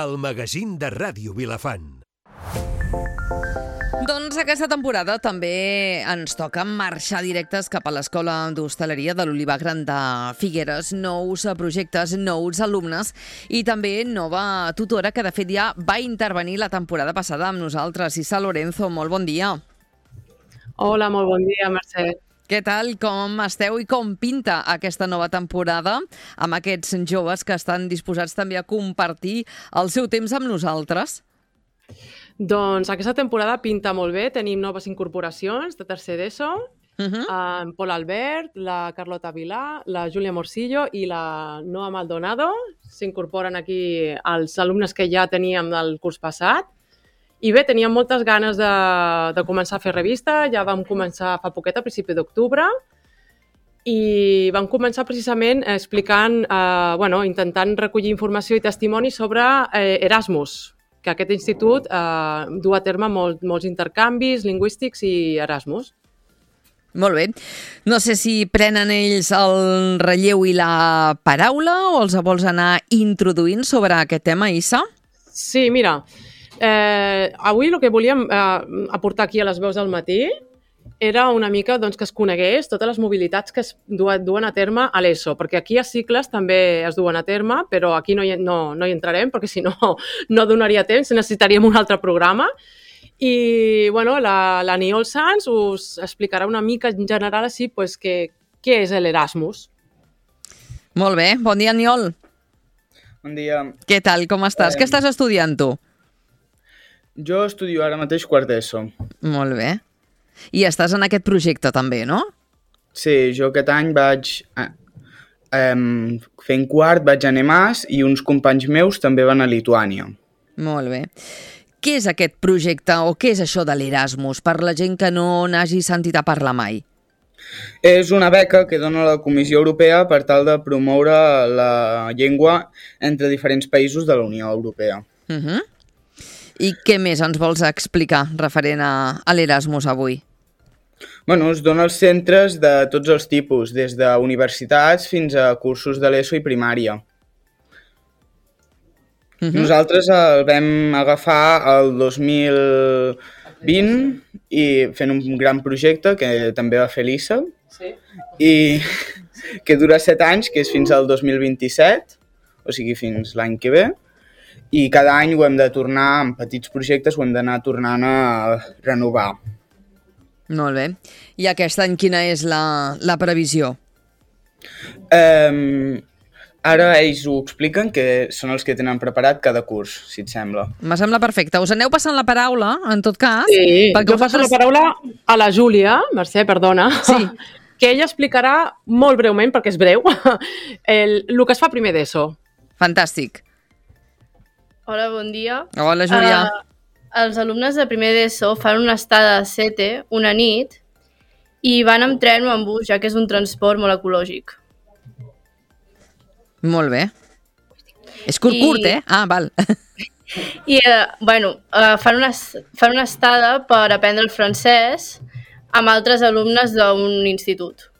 El magazín de Ràdio Vilafant. Doncs aquesta temporada també ens toca marxar directes cap a l'Escola d'Hostaleria de l'Olivar Gran de Figueres. Nous projectes, nous alumnes i també nova tutora que de fet ja va intervenir la temporada passada amb nosaltres. Isa Lorenzo, molt bon dia. Hola, molt bon dia, Mercè. Què tal? Com esteu i com pinta aquesta nova temporada amb aquests joves que estan disposats també a compartir el seu temps amb nosaltres? Doncs aquesta temporada pinta molt bé. Tenim noves incorporacions de tercer d'ESO, en Pol Albert, la Carlota Vilà, la Júlia Morcillo i la Noa Maldonado. S'incorporen aquí els alumnes que ja teníem del curs passat. I bé, teníem moltes ganes de començar a fer revista. Ja vam començar fa poquet, a principi d'octubre, i vam començar precisament explicant, intentant recollir informació i testimoni sobre Erasmus, que aquest institut du a terme molts intercanvis lingüístics i Erasmus. Molt bé. No sé si prenen ells el relleu i la paraula o els vols anar introduint sobre aquest tema, Isa? Sí, mira, avui el que volíem aportar aquí a les veus del matí era una mica que es conegués totes les mobilitats que es duen a terme a l'ESO, perquè aquí a cicles també es duen a terme, però aquí no hi entrarem, perquè si no, no donaria temps, necessitaríem un altre programa. I la Niol Sans us explicarà una mica en general així què és l'Erasmus. Molt bé, bon dia, Niol. Bon dia. Què tal, com estàs? Què estàs estudiant tu? Jo estudio ara mateix quart d'ESO. Molt bé. I estàs en aquest projecte també, no? Sí, jo aquest any vaig fent quart, vaig a Nemàs i uns companys meus també van a Lituània. Molt bé. Què és aquest projecte o què és això de l'Erasmus per la gent que no n'hagi sentit a parlar mai? És una beca que dona la Comissió Europea per tal de promoure la llengua entre diferents països de la Unió Europea. I què més ens vols explicar referent a l'Erasmus avui? Es dona als centres de tots els tipus, des de universitats fins a cursos de l'ESO i primària. Nosaltres el vam agafar el 2020 i fent un gran projecte que també va fer l'ISA, i que dura 7 anys, que és fins al 2027, o sigui fins l'any que ve, i cada any ho hem de tornar, en petits projectes, ho hem d'anar tornant a renovar. Molt bé. I aquest any quina és la previsió? Ara ells ho expliquen, que són els que tenen preparat cada curs, si et sembla. Me sembla perfecte. Us aneu passant la paraula, en tot cas? Sí, jo passo la paraula a la Júlia, Mercè, perdona, sí, que ella explicarà molt breument, perquè és breu, el que es fa primer d'ESO. Fantàstic. Hola, bon dia. Hola, Júlia. Els alumnes de primer d'ESO fan una estada a Sete una nit i van amb tren o amb bus, ja que és un transport molt ecològic. Molt bé. És curt, eh? Ah, val. I, fan una estada per aprendre el francès amb altres alumnes d'un institut.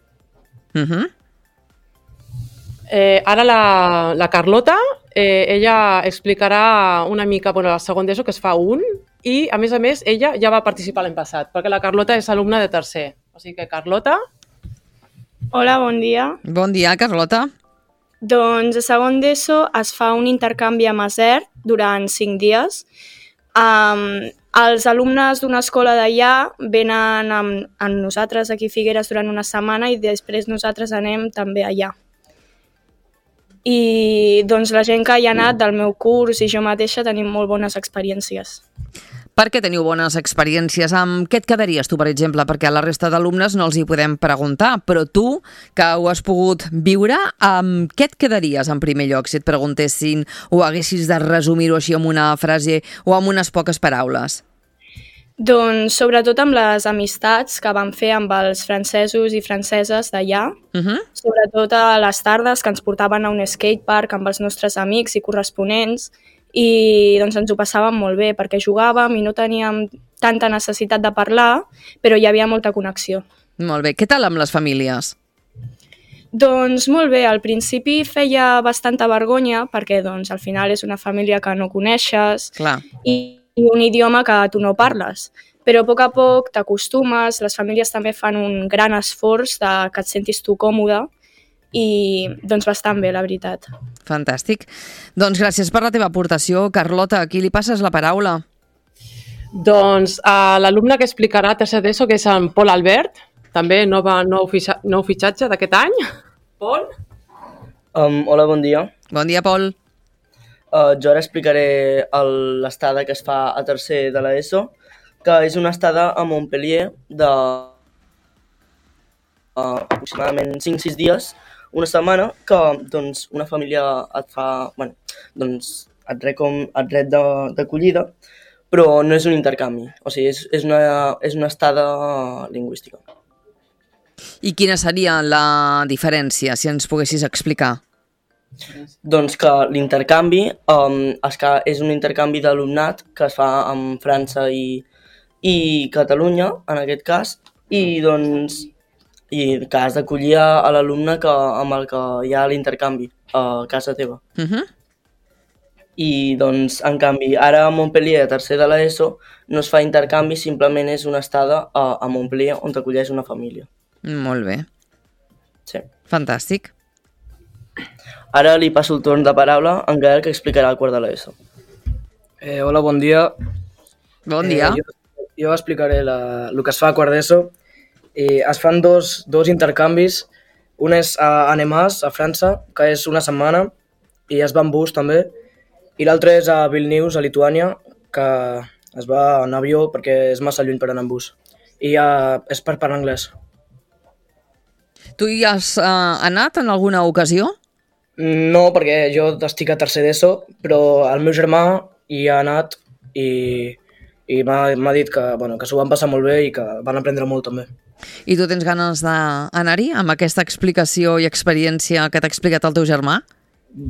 Ara la Carlota, ella explicarà una mica el segon d'ESO, que es fa i a més, ella ja va participar l'any passat, perquè la Carlota és alumna de tercer. O sigui que, Carlota... Hola, bon dia. Bon dia, Carlota. Doncs a segon d'ESO es fa un intercanvi a Masert durant 5 dies. Els alumnes d'una escola d'allà venen amb nosaltres aquí a Figueres durant una setmana i després nosaltres anem també allà. I doncs la gent que hi ha anat del meu curs i jo mateixa tenim molt bones experiències. Per què teniu bones experiències? Amb què et quedaries tu, per exemple? Perquè a la resta d'alumnes no els hi podem preguntar, però tu, que ho has pogut viure, amb què et quedaries en primer lloc, si et preguntessin o haguessis de resumir-ho així amb una frase o amb unes poques paraules? Doncs sobretot amb les amistats que vam fer amb els francesos i franceses d'allà, sobretot a les tardes que ens portaven a un skatepark amb els nostres amics i corresponents, i doncs ens ho passàvem molt bé perquè jugàvem i no teníem tanta necessitat de parlar, però hi havia molta connexió. Molt bé. Què tal amb les famílies? Doncs molt bé, al principi feia bastanta vergonya perquè doncs, al final és una família que no coneixes i un idioma que tu no parles. Però a poc t'acostumes, les famílies també fan un gran esforç que et sentis tu còmode i doncs bastant bé, la veritat. Fantàstic. Doncs gràcies per la teva aportació. Carlota, a qui li passes la paraula? Doncs a l'alumne que explicarà tercer d'ESO, que és en Pol Albert, també nou fitxatge d'aquest any. Pol? Hola, bon dia. Bon dia, Pol. Jo ara explicaré l'estada que es fa a tercer de l'ESO, que és una estada a Montpellier de aproximadament 5-6 dies, una setmana, que doncs, una família et fa, et ret d'acollida, però no és un intercanvi, o sigui, és una estada lingüística. I quina seria la diferència, si ens poguessis explicar? Doncs que l'intercanvi és un intercanvi d'alumnat que es fa amb França i Catalunya, en aquest cas, i que has d'acollir a l'alumne amb el que hi ha l'intercanvi a casa teva. I doncs, en canvi, ara a Montpellier, a tercer de l'ESO, no es fa intercanvi, simplement és una estada a Montpellier on t'acolleix una família. Molt bé. Sí. Fantàstic. Ara li passo el torn de paraula a en Gael, que explicarà el quart de l'ESO. Hola, bon dia. Bon dia. Jo explicaré el que es fa a quart d'ESO. Es fan dos intercanvis. Un és a Annemasse, a França, que és una setmana, i es va en bus també. I l'altre és a Vilnius, a Lituània, que es va en avió perquè és massa lluny per anar en bus. I és per parlar anglès. Tu hi has anat en alguna ocasió? No, perquè jo estic a tercer d'ESO, però el meu germà hi ha anat i m'ha dit que s'ho van passar molt bé i que van aprendre molt també. I tu tens ganes d'anar-hi amb aquesta explicació i experiència que t'ha explicat el teu germà?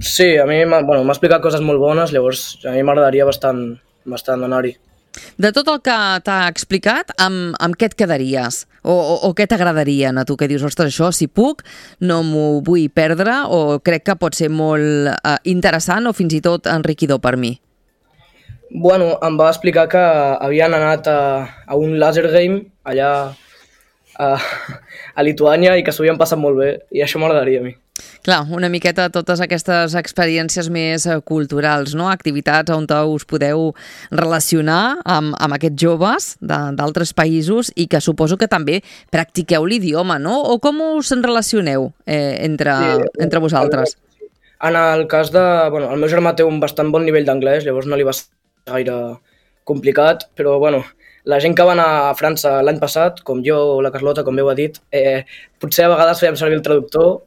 Sí, a mi m'ha explicat coses molt bones, llavors a mi m'agradaria bastant anar-hi. De tot el que t'ha explicat, amb què et quedaries? O què t'agradaria a tu? Que dius, ostres, això, si puc, no m'ho vull perdre, o crec que pot ser molt interessant o fins i tot enriquidor per mi? Bueno, em va explicar que havien anat a un laser game allà a Lituània i que s'ho havien passat molt bé, i això m'agradaria a mi. Clar, una miqueta totes aquestes experiències més culturals, no? Activitats on us podeu relacionar amb aquests joves d'altres països i que suposo que també practiqueu l'idioma, no? O com us en relacioneu entre vosaltres? En el cas de... el meu germà té un bastant bon nivell d'anglès, llavors no li va ser gaire complicat, però la gent que va anar a França l'any passat, com jo o la Carlota, com bé ho ha dit, potser a vegades fèiem servir el traductor,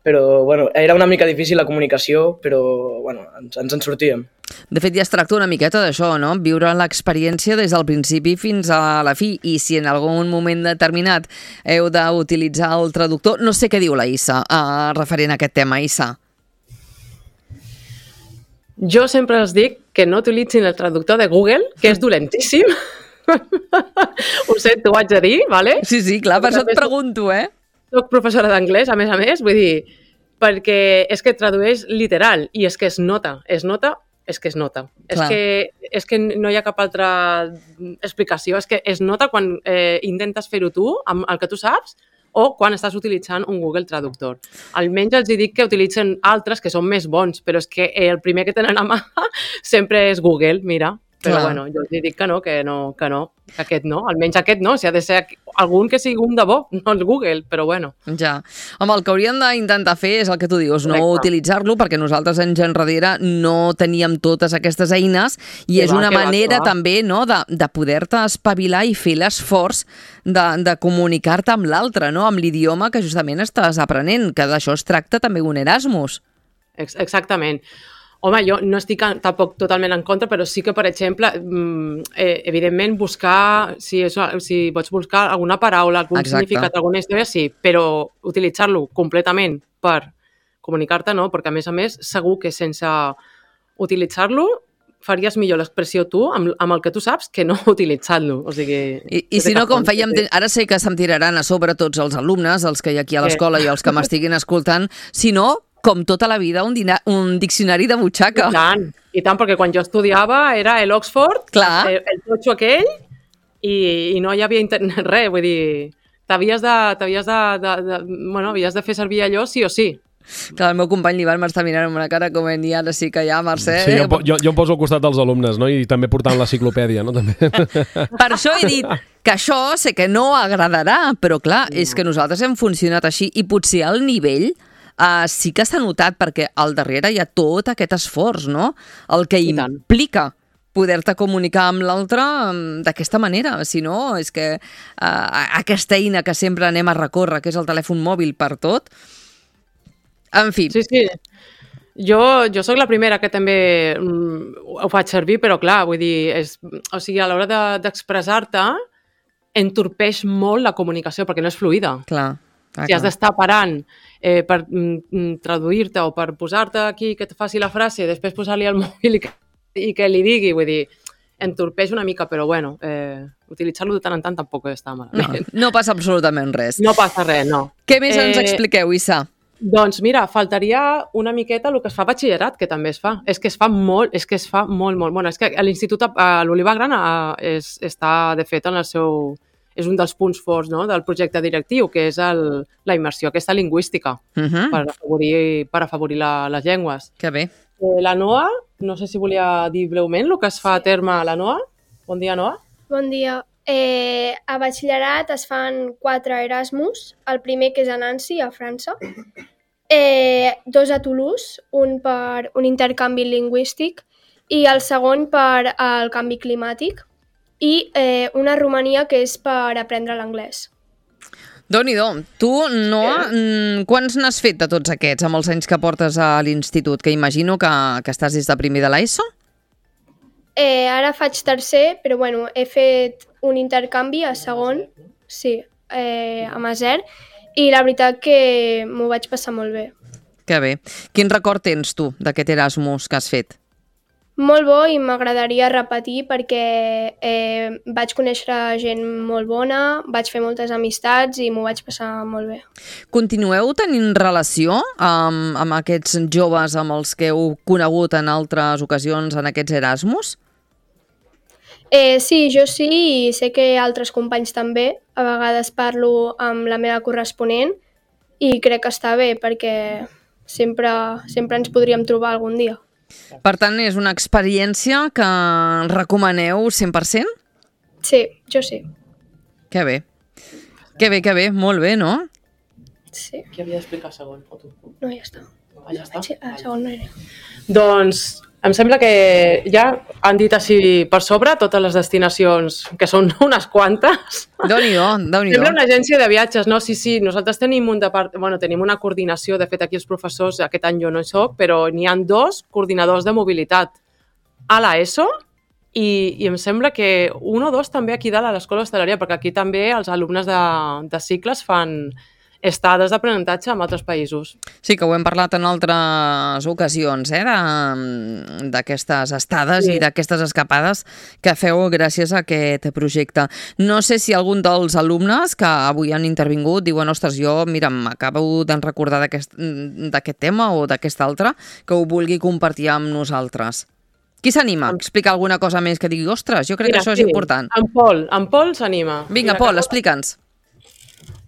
però era una mica difícil la comunicació, però ens en sortíem. De fet, ja es tracta una miqueta d'això, no? Viure l'experiència des del principi fins a la fi, i si en algun moment determinat heu d'utilitzar el traductor, no sé què diu la Issa referent a aquest tema, Issa. Jo sempre els dic que no utilitzin el traductor de Google, que és dolentíssim. Ho sé, t'ho haig de dir, ¿vale? Sí, clar, per això et pregunto, Soc professora d'anglès, a més, vull dir, perquè és que tradueix literal, i és que es nota. És que no hi ha cap altra explicació, és que es nota quan intentes fer-ho tu, amb el que tu saps, o quan estàs utilitzant un Google Traductor. Almenys els dic que utilitzen altres que són més bons, però és que el primer que tenen a mà sempre és Google, mira. Però jo els dic que no, que aquest no, almenys aquest no, si ha de ser algun que sigui un de bo, no el Google, però bueno. Ja, home, el que hauríem d'intentar fer és el que tu dius, no utilitzar-lo, perquè nosaltres anys enrere no teníem totes aquestes eines i és una manera també de poder-te espavilar i fer l'esforç de comunicar-te amb l'altre, amb l'idioma que justament estàs aprenent, que d'això es tracta també un Erasmus. Exactament. Home, jo no estic tampoc totalment en contra, però sí que, per exemple, evidentment buscar, si pots buscar alguna paraula, algun significat, alguna història, sí, però utilitzar-lo completament per comunicar-te, no, perquè a més, segur que sense utilitzar-lo faries millor l'expressió tu amb el que tu saps que no utilitzant-lo. O sigui, I si no, com fèiem... Ara sé que se'm tiraran a sobre tots els alumnes, els que hi ha aquí a l'escola i els que m'estiguin escoltant, si no, com tota la vida, un diccionari de butxaca. I tant, perquè quan jo estudiava era l'Oxford, el totxo aquell, i no hi havia internet, res, vull dir, havies de fer servir allò sí o sí. Clar, el meu company l'Ivan m'està mirant amb una cara com ni ara sí que hi ha, Mercè. Sí, jo em poso al costat dels alumnes, no? I també portant l'enciclopèdia, no? També. Per això he dit que això sé que no agradarà, però clar, és que nosaltres hem funcionat així i potser el nivell sí que s'ha notat perquè al darrere hi ha tot aquest esforç, no? El que implica poder-te comunicar amb l'altre d'aquesta manera. Si no, és que aquesta eina que sempre anem a recórrer, que és el telèfon mòbil per tot, en fi. Sí. Jo sóc la primera que també ho faig servir, però clar, vull dir, o sigui, a l'hora d'expressar-te entorpeix molt la comunicació perquè no és fluida. Clar. Si has d'estar parant per traduir-te o per posar-te aquí que et faci la frase, després posar-li al mòbil i que li digui, vull dir, entorpeix una mica, però bueno, utilitzar-lo de tant en tant tampoc està malament. No passa absolutament res. No passa res, no. Què més ens expliqueu, Issa? Doncs mira, faltaria una miqueta el que es fa a batxillerat, que també es fa. És que es fa molt. Bueno, és que a l'Institut, a l'Oliva Gran, està, de fet, en el seu... És un dels punts forts, no?, del projecte directiu, que és la immersió aquesta lingüística per afavorir les llengües. Que bé. La Noa, no sé si volia dir breument el que es fa a terme a la Noa. Bon dia, Noa. Bon dia. A batxillerat es fan 4 Erasmus, el primer que és a Nancy, a França, 2 a Toulouse, un per un intercanvi lingüístic i el segon per el canvi climàtic i una a Romania que és per aprendre l'anglès. Déu-n'hi-do. Tu, Noa, quants n'has fet de tots aquests amb els anys que portes a l'institut? Que imagino que estàs des de primer de l'ESO? Ara faig tercer, però bueno, he fet un intercanvi a segon, sí, a Maser, i la veritat que m'ho vaig passar molt bé. Que bé. Quin record tens tu d'aquest Erasmus que has fet? Molt bo i m'agradaria repetir perquè vaig conèixer gent molt bona, vaig fer moltes amistats i m'ho vaig passar molt bé. Continueu tenint relació amb aquests joves amb els que heu conegut en altres ocasions en aquests Erasmus? Sí, jo sí, i sé que altres companys també. A vegades parlo amb la meva corresponent i crec que està bé perquè sempre ens podríem trobar algun dia. Per tant, és una experiència que recomaneu 100%? Sí, jo sí. Que bé. Que bé, molt bé, no? Sí. Qui havia d'explicar segon? O tu? No, ja està. Ja està? Sí, segon no era. Doncs em sembla que ja han dit així per sobre totes les destinacions, que són unes quantes. Déu-n'hi-do. Sembla una agència de viatges, no? Sí, nosaltres tenim tenim una coordinació, de fet aquí els professors, aquest any jo no hi soc, però n'hi ha 2 coordinadors de mobilitat a l'ESO i em sembla que 1 o 2 també aquí dalt a l'Escola d'Hostaleria, perquè aquí també els alumnes de cicles fan estades d'aprenentatge en altres països. Sí, que ho hem parlat en altres ocasions, d'aquestes estades i d'aquestes escapades que feu gràcies a aquest projecte. No sé si algun dels alumnes que avui han intervingut diuen, ostres, jo, mira, m'acabo de recordar d'aquest tema o d'aquest altre, que ho vulgui compartir amb nosaltres. Qui s'anima a explicar alguna cosa més que digui, ostres, jo crec que això és important? En Pol s'anima. Vinga, Pol, explica'ns.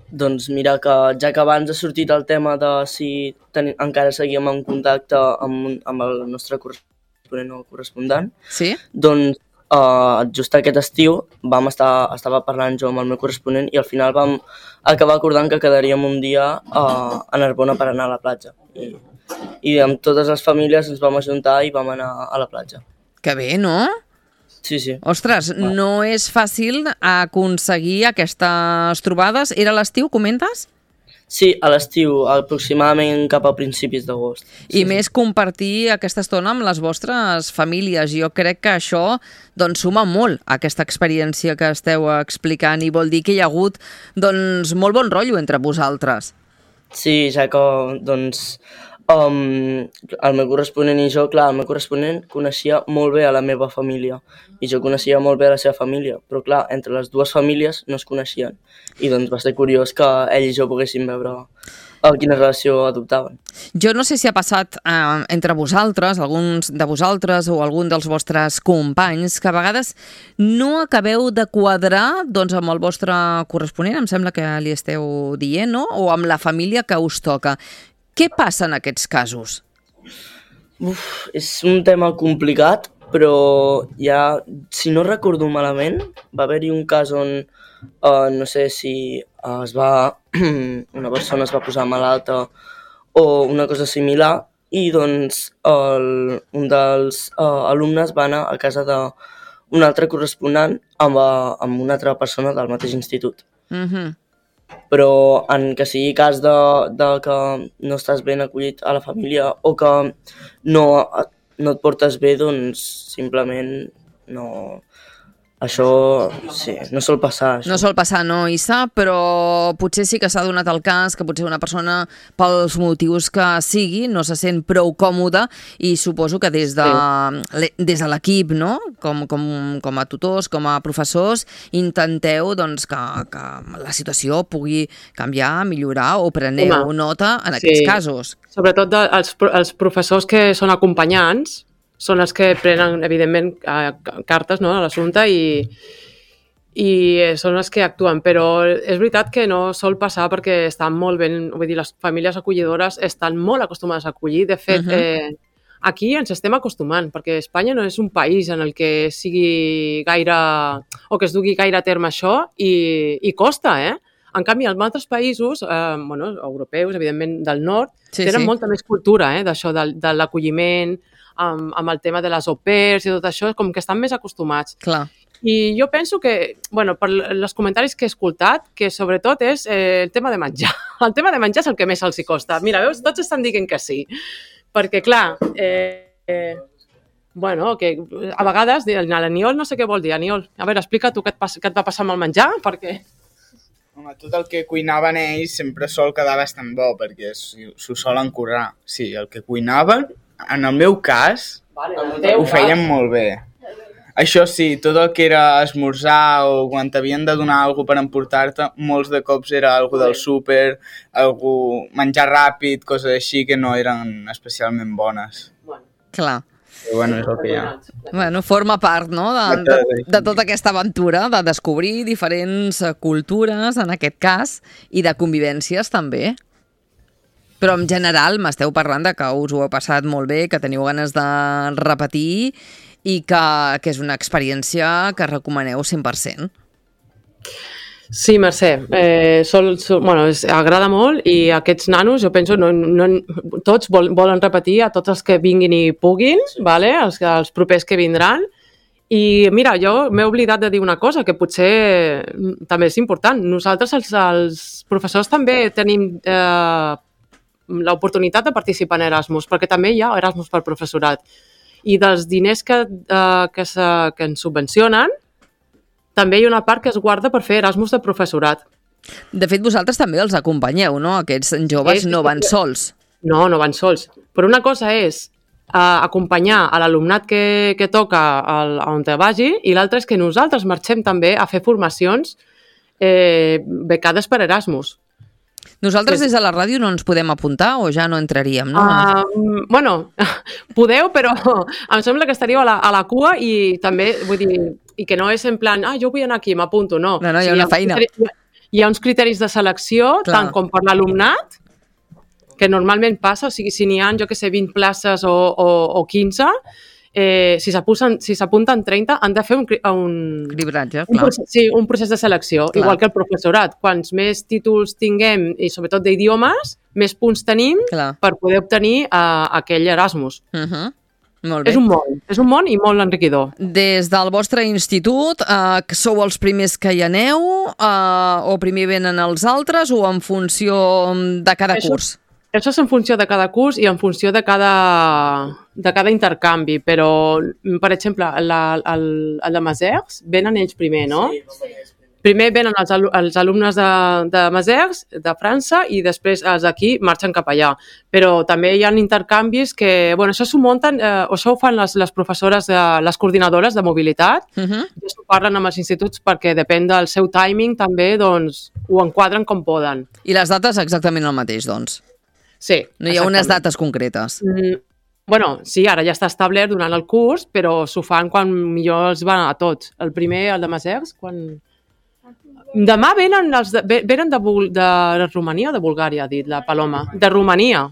Doncs mira, que ja que abans ha sortit el tema de si encara seguíem en contacte amb el nostre corresponent o correspondent, sí? Doncs just aquest estiu estava parlant jo amb el meu corresponent i al final vam acabar acordant que quedaríem un dia a Narbona per anar a la platja. I amb totes les famílies ens vam ajuntar i vam anar a la platja. Que bé, no? Sí. Ostres, no és fàcil aconseguir aquestes trobades. Era a l'estiu, comentes? Sí, a l'estiu, aproximadament cap a principis d'agost. I més compartir aquesta estona amb les vostres famílies. Jo crec que això suma molt a aquesta experiència que esteu explicant i vol dir que hi ha hagut molt bon rotllo entre vosaltres. Sí, ja que el meu corresponent i jo, clar, el meu corresponent coneixia molt bé a la meva família i jo coneixia molt bé a la seva família, però clar, entre les dues famílies no es coneixien i doncs va ser curiós que ell i jo poguéssim veure quina relació adoptaven. Jo no sé si ha passat entre vosaltres, alguns de vosaltres o algun dels vostres companys, que a vegades no acabeu de quadrar doncs, amb el vostre corresponent, em sembla que li esteu dient, no? O amb la família que us toca. Què passa en aquests casos? És un tema complicat, però ja, si no recordo malament, va haver-hi un cas on, no sé si una persona es va posar malalta o una cosa similar, i doncs un dels alumnes va anar a casa d'un altre corresponent amb una altra persona del mateix institut. Però en que sigui cas de que no estàs ben acollit a la família o que no et portes bé, doncs simplement no... Això, sí, no sol passar. Això. No sol passar, no, Issa, però potser sí que s'ha donat el cas que potser una persona, pels motius que sigui, no se sent prou còmoda i suposo que des de l'equip, no? Com a tutors, com a professors, intenteu doncs, que la situació pugui canviar, millorar o preneu nota en aquests casos. Sobretot els professors que són acompanyants, són els que prenen, evidentment, cartes a l'assumpte i són els que actuen. Però és veritat que no sol passar perquè estan molt ben... Vull dir, les famílies acollidores estan molt acostumades a acollir. De fet, aquí ens estem acostumant, perquè Espanya no és un país en el que sigui gaire... o que es dugui gaire a terme això i costa, En canvi, en altres països, europeus, evidentment del nord, tenen molta més cultura d'això, de l'acolliment, amb el tema de les au pairs i tot això, com que estan més acostumats. Clar. I jo penso que, per els comentaris que he escoltat, que sobretot és el tema de menjar. El tema de menjar és el que més els hi costa. Mira, veus, tots estan dient que sí. Perquè, clar, que a vegades l'Aniol no sé què vol dir. Aniol, a veure, explica tu què et va passar amb el menjar, perquè... Home, tot el que cuinaven ells sempre sol quedar bastant bo, perquè s'ho solen currar. Sí, el que cuinaven... En el meu cas, ho feien molt bé. Això sí, tot el que era esmorzar o quan t'havien de donar alguna cosa per emportar-te, molts de cops era alguna del súper, menjar ràpid, coses així que no eren especialment bones. Clar. Però és el que hi ha. Forma part, no?, de tota aquesta aventura, de descobrir diferents cultures, en aquest cas, i de convivències també. Però en general m'esteu parlant de que us ho heu passat molt bé, que teniu ganes de repetir i que és una experiència que recomaneu 100%. Sí, Mercè, agrada molt i aquests nanos, jo penso, tots volen repetir, a tots els que vinguin i puguin, els propers que vindran. I mira, jo m'he oblidat de dir una cosa que potser també és important. Nosaltres, els professors, també tenim l'oportunitat de participar en Erasmus, perquè també hi ha Erasmus per professorat. I dels diners que ens subvencionen, també hi ha una part que es guarda per fer Erasmus de professorat. De fet, vosaltres també els acompanyeu, no? Aquests joves no van sols. No van sols. Però una cosa és acompanyar a l'alumnat que toca on te vagi i l'altra és que nosaltres marxem també a fer formacions becades per Erasmus. Nosaltres des de la ràdio no ens podem apuntar o ja no entraríem, no? Podeu, però em sembla que estaríeu a la cua i també, vull dir, i que no és en plan, jo vull anar aquí, m'apunto, no. No, hi ha una feina. Hi ha uns criteris de selecció, tant com per l'alumnat, que normalment passa, o sigui, si n'hi ha, 20 places o 15, si s'apunten 30, han de fer un cribratge, clar. Un procés de selecció, clar. Igual que el professorat. Quants més títols tinguem, i sobretot d'idiomes, més punts tenim per poder obtenir aquell Erasmus. Molt bé. És un món i molt enriquidor. Des del vostre institut, sou els primers que hi aneu, o primer venen els altres, o en funció de cada curs? Això és en funció de cada curs i en funció de cada intercanvi, però, per exemple, el de Masers venen ells primer, no? Sí, primer venen els alumnes de Masers, de França, i després els d'aquí marxen cap allà. Però també hi ha intercanvis que, bueno, això s'ho munten, això ho fan les professores, les coordinadores de mobilitat, i això ho parlen amb els instituts perquè depèn del seu timing també, doncs, ho enquadren com poden. I les dates exactament el mateix, doncs? Sí. No hi ha unes dates concretes? Bueno, sí, ara ja està establert durant el curs, però s'ho fan quan millor els van a tots. El primer, el de Masers, quan... Demà venen de Romania o de Bulgària, ha dit la Paloma. De Romania.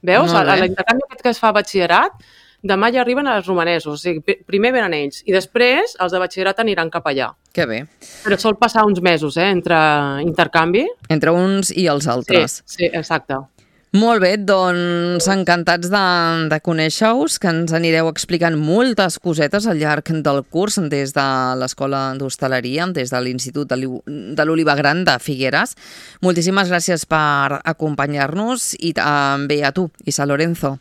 Veus? A l'intercanvi que es fa a batxillerat, demà ja arriben els romanesos. O sigui, primer venen ells i després els de batxillerat aniran cap allà. Que bé. Però sol passar uns mesos, entre intercanvi. Entre uns i els altres. Sí, exacte. Molt bé, doncs encantats de conèixer-us, que ens anireu explicant moltes cosetes al llarg del curs des de l'Escola d'Hostaleria, des de l'Institut de l'Oliva Gran de Figueres. Moltíssimes gràcies per acompanyar-nos i també a tu, Isa Lorenzo.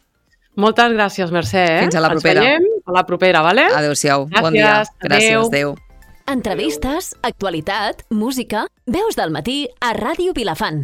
Moltes gràcies, Mercè. Fins a la propera. Ens veiem a la propera, vale? Adéu-siau, bon dia. Gràcies, adéu. Entrevistes, actualitat, música, veus del matí a Ràdio Vilafant.